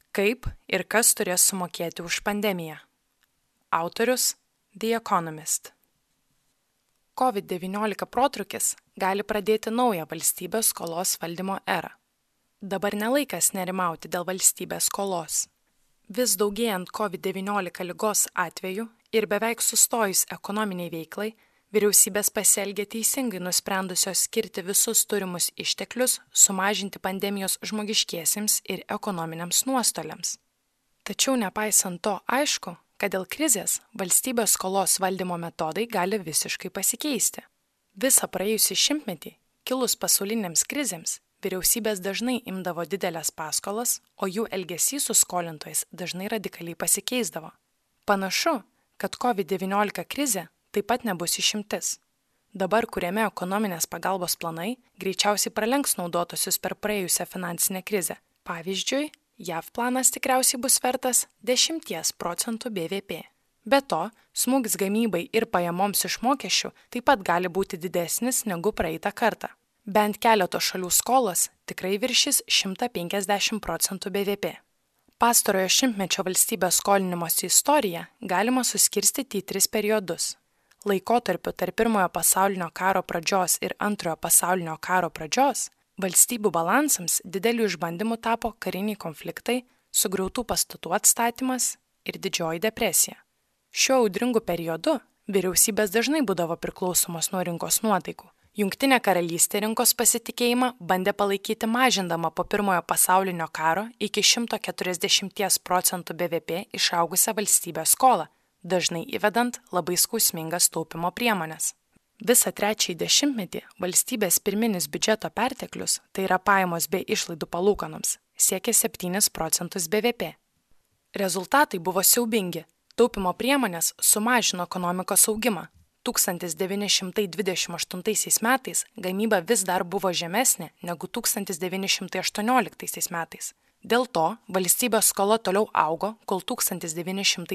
Kaip ir kas turės sumokėti už pandemiją? Autorius The Economist. COVID-19 protrūkis gali pradėti naują valstybės skolos valdymo erą. Dabar nelaikas nerimauti dėl valstybės skolos. Vis daugėjant COVID-19 ligos atvejų ir beveik sustojus ekonominiai veiklai, vyriausybės pasielgė teisingai nusprendusios skirti visus turimus išteklius sumažinti pandemijos žmogiškiesiems ir ekonominiams nuostoliams. Tačiau nepaisant to aišku, kad dėl krizės valstybės skolos valdymo metodai gali visiškai pasikeisti. Visą praėjusį šimtmetį, kilus pasaulinėms krizėms, vyriausybės dažnai imdavo didelės paskolas, o jų elgesys su skolintojais dažnai radikaliai pasikeisdavo. Panašu, kad COVID-19 krizė taip pat nebus išimtis. Dabar kuriami ekonominės pagalbos planai greičiausiai pralenks naudotosius per praėjusią finansinę krizę. Pavyzdžiui, JAV planas tikriausiai bus vertas 10% BVP. Be to, smūgis gamybai ir pajamoms iš mokesčių taip pat gali būti didesnis negu praeitą kartą. Bent keleto šalių skolos tikrai viršys 150% BVP. Pastarojo šimtmečio valstybės skolinimosi istoriją galima suskirstyti į 3 periodus. Laikotarpiu tarp Pirmojo pasaulinio karo pradžios ir Antrojo pasaulinio karo pradžios valstybių balansams didelių išbandymų tapo kariniai konfliktai, sugriautų pastatų atstatymas ir Didžioji depresija. Šiuo audringu periodu vyriausybės dažnai būdavo priklausomos nuo rinkos nuotaikų. Jungtinė karalystė rinkos pasitikėjimą bandė palaikyti mažindama po Pirmojo pasaulinio karo iki 140% BVP išaugusią valstybės skolą, dažnai įvedant labai skausmingas taupimo priemonės. Visą trečiąjį dešimtmetį valstybės pirminis biudžeto perteklius, tai yra pajamos bei išlaidų palūkanoms, siekė 7% BVP. Rezultatai buvo siaubingi. Taupimo priemonės sumažino ekonomikos augimą. 1928 metais gamyba vis dar buvo žemesnė negu 1918 metais. Dėl to valstybės skola toliau augo, kol 1930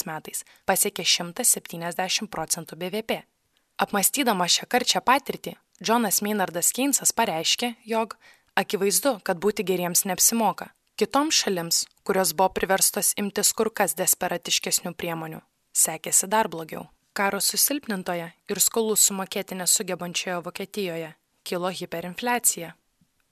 metais pasiekė 170% BVP. Apmąstydamas šią karčią patirtį, Johnas Maynardas Keynesas pareiškė, jog akivaizdu, kad būti geriems neapsimoka. Kitoms šalims, kurios buvo priverstos imtis kur kas desperatiškesnių priemonių, sekėsi dar blogiau. Karo susilpnintoje ir skolų sumokėti nesugebančioje Vokietijoje kilo hiperinfliacija.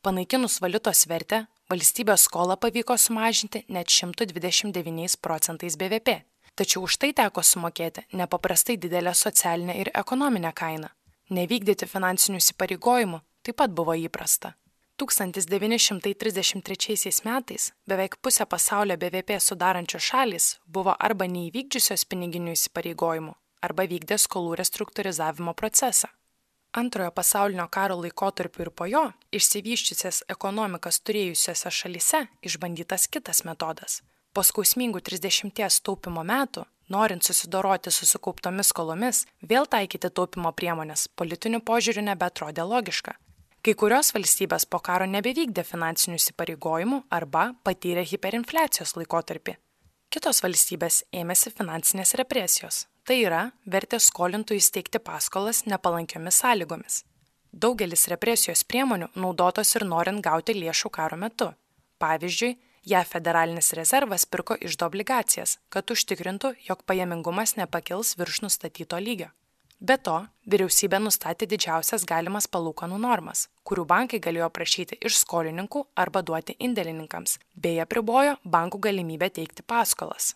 Panaikinus valiutos vertę, valstybės skolą pavyko sumažinti net 129% BVP. Tačiau už tai teko sumokėti nepaprastai didelę socialinę ir ekonominę kainą. Nevykdyti finansinių įsipareigojimų taip pat buvo įprasta. 1933 metais beveik pusė pasaulio BVP sudarančios šalys buvo arba neįvykdžiusios piniginių įsipareigojimų, arba vykdė skolų restruktūrizavimo procesą. Antrojo pasaulinio karo laikotarpiu ir po jo išsivysčiusias ekonomikas turėjusiose šalyse išbandytas kitas metodas. Po skausmingų 30 taupimo metų, norint susidoroti su sukauptomis skolomis, vėl taikyti taupimo priemonės politiniu požiūriu nebeatrodė logiška. Kai kurios valstybės po karo nebevykdė finansinių įsipareigojimų arba patyrė hiperinfliacijos laikotarpį. Kitos valstybės ėmėsi finansinės represijos. Tai yra, vertė skolintojų įsteigti paskolas nepalankiomis sąlygomis. Daugelis represijos priemonių naudotos ir norint gauti lėšų karo metu. Pavyzdžiui, JAV federalinis rezervas pirko iždo obligacijas, kad užtikrintų, jog pajamingumas nepakils virš nustatyto lygio. Be to, vyriausybė nustatė didžiausias galimas palūkanų normas, kurių bankai galėjo prašyti iš skolininkų arba duoti indėlininkams, bei apribojo bankų galimybę teikti paskolas.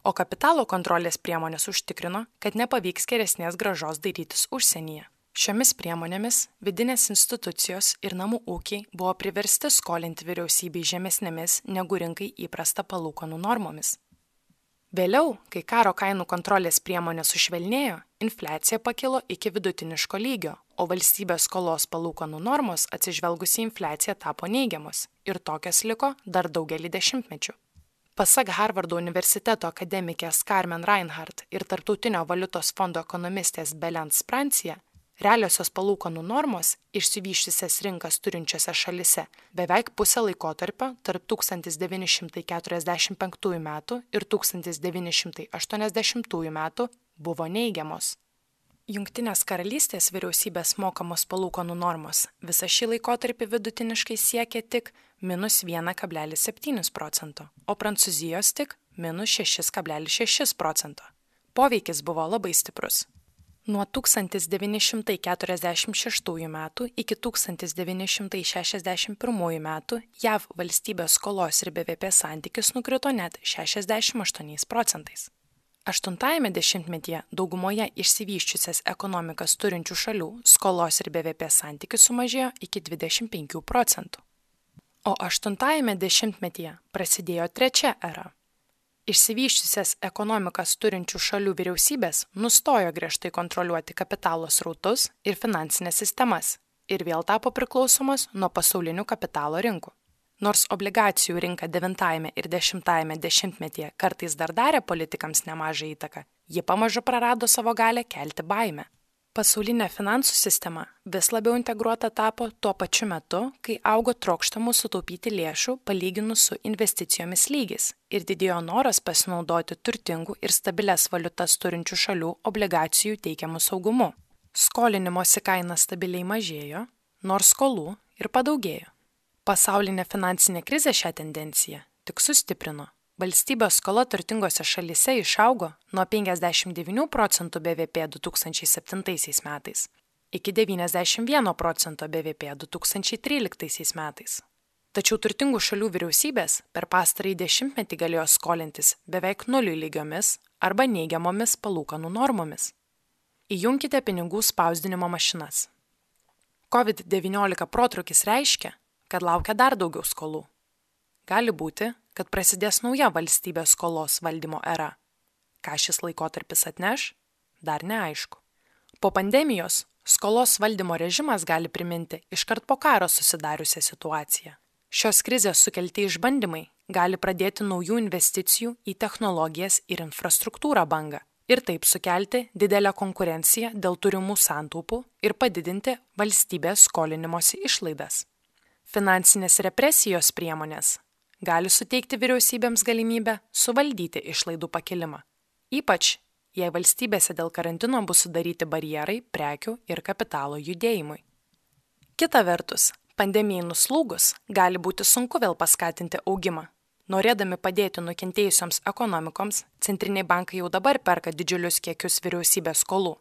O kapitalo kontrolės priemonės užtikrino, kad nepavyks geresnės grąžos dairytis užsienyje. Šiomis priemonėmis vidinės institucijos ir namų ūkiai buvo priversti skolinti vyriausybei žemesnėmis negu rinkai įprasta palūkanų normomis. Vėliau, kai karo kainų kontrolės priemonės sušvelnėjo, infliacija pakilo iki vidutiniško lygio, o valstybės skolos palūkanų normos atsižvelgus į infliaciją tapo neigiamos ir tokios liko dar daugelį dešimtmečių. Pasak Harvardo universiteto akademikės Carmen Reinhardt ir Tarptautinio valiutos fondo ekonomistės Belen Sprancia, realiosios palūkanų normos išsivysčiusias rinkas turinčiose šalise beveik pusę laikotarpio tarp 1945 metų ir 1980 metų buvo neigiamos. Jungtinės karalystės vyriausybės mokamos palūkanų normos visą šį laikotarpį vidutiniškai siekia tik -1,7%, o Prancūzijos tik -6,6%. Poveikis buvo labai stiprus. Nuo 1946 metų iki 1961 metų JAV valstybės skolos ir BVP santykis nukrito net 68%. 8-ajame dešimtmetyje daugumoje išsivysčiusias ekonomikas turinčių šalių skolos ir BVP santykis sumažėjo iki 25%. O 8-ajame dešimtmetyje prasidėjo trečia era. Išsivysčiusias ekonomikas turinčių šalių vyriausybės nustojo griežtai kontroliuoti kapitalo srautus ir finansinės sistemas ir vėl tapo priklausomos nuo pasaulinių kapitalo rinkų. Nors obligacijų rinka 9-ajame ir 10-ajame dešimtmetyje kartais dar darė politikams nemažą įtaką, ji pamažu prarado savo galią kelti baimę. Pasaulinė finansų sistema vis labiau integruota tapo tuo pačiu metu, kai augo trokštamų sutaupyti lėšų palyginus su investicijomis lygis ir didėjo noras pasinaudoti turtingų ir stabilias valiutas turinčių šalių obligacijų teikiamų saugumu. Skolinimosi kaina stabiliai mažėjo, nors skolų ir padaugėjo. Pasaulinė finansinė krizė šią tendenciją tik sustiprino. Valstybės skola turtingose šalyse išaugo nuo 59% BVP 2007 metais iki 91% BVP 2013 metais. Tačiau turtingų šalių vyriausybės per pastarąjį dešimtmetį galėjo skolintis beveik nuliui lygiomis arba neigiamomis palūkanų normomis. Įjunkite pinigų spausdinimo mašinas. COVID-19 protrūkis reiškia, kad laukia dar daugiau skolų. Gali būti, kad prasidės nauja valstybės skolos valdymo era. Ką šis laikotarpis atneš, dar neaišku. Po pandemijos skolos valdymo režimas gali priminti iškart po karo susidariusią situaciją. Šios krizės sukelti išbandymai gali pradėti naujų investicijų į technologijas ir infrastruktūrą bangą ir taip sukelti didelę konkurenciją dėl turimų santaupų ir padidinti valstybės skolinimosi išlaidas. Finansinės represijos priemonės gali suteikti vyriausybėms galimybę suvaldyti išlaidų pakilimą, ypač jei valstybėse dėl karantino bus sudaryti barjerai prekių ir kapitalo judėjimui. Kita vertus, pandemijai nuslūgus gali būti sunku vėl paskatinti augimą. Norėdami padėti nukentėjusioms ekonomikoms, centriniai bankai jau dabar perka didžiulius kiekius vyriausybės skolų.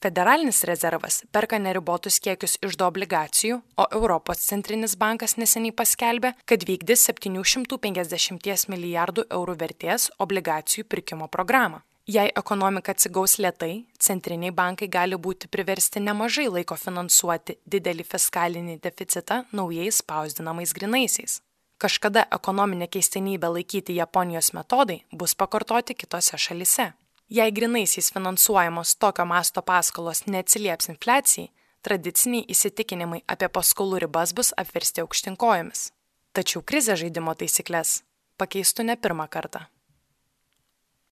Federalinis rezervas perka neribotus kiekius iždo obligacijų, o Europos centrinis bankas neseniai paskelbė, kad vykdys 750 milijardų eurų vertės obligacijų pirkimo programą. Jei ekonomika atsigaus lėtai, centriniai bankai gali būti priversti nemažai laiko finansuoti didelį fiskalinį deficitą naujais spausdinamais grynaisiais. Kažkada ekonominė keistenybė laikyti Japonijos metodai bus pakartoti kitose šalyse. Jei grynaisiais finansuojamos tokio masto paskolos neatsilieps infliacijai, tradiciniai įsitikinimai apie paskolų ribas bus apversti aukštyn kojomis. Tačiau krizė žaidimo taisyklės pakeistų ne pirmą kartą.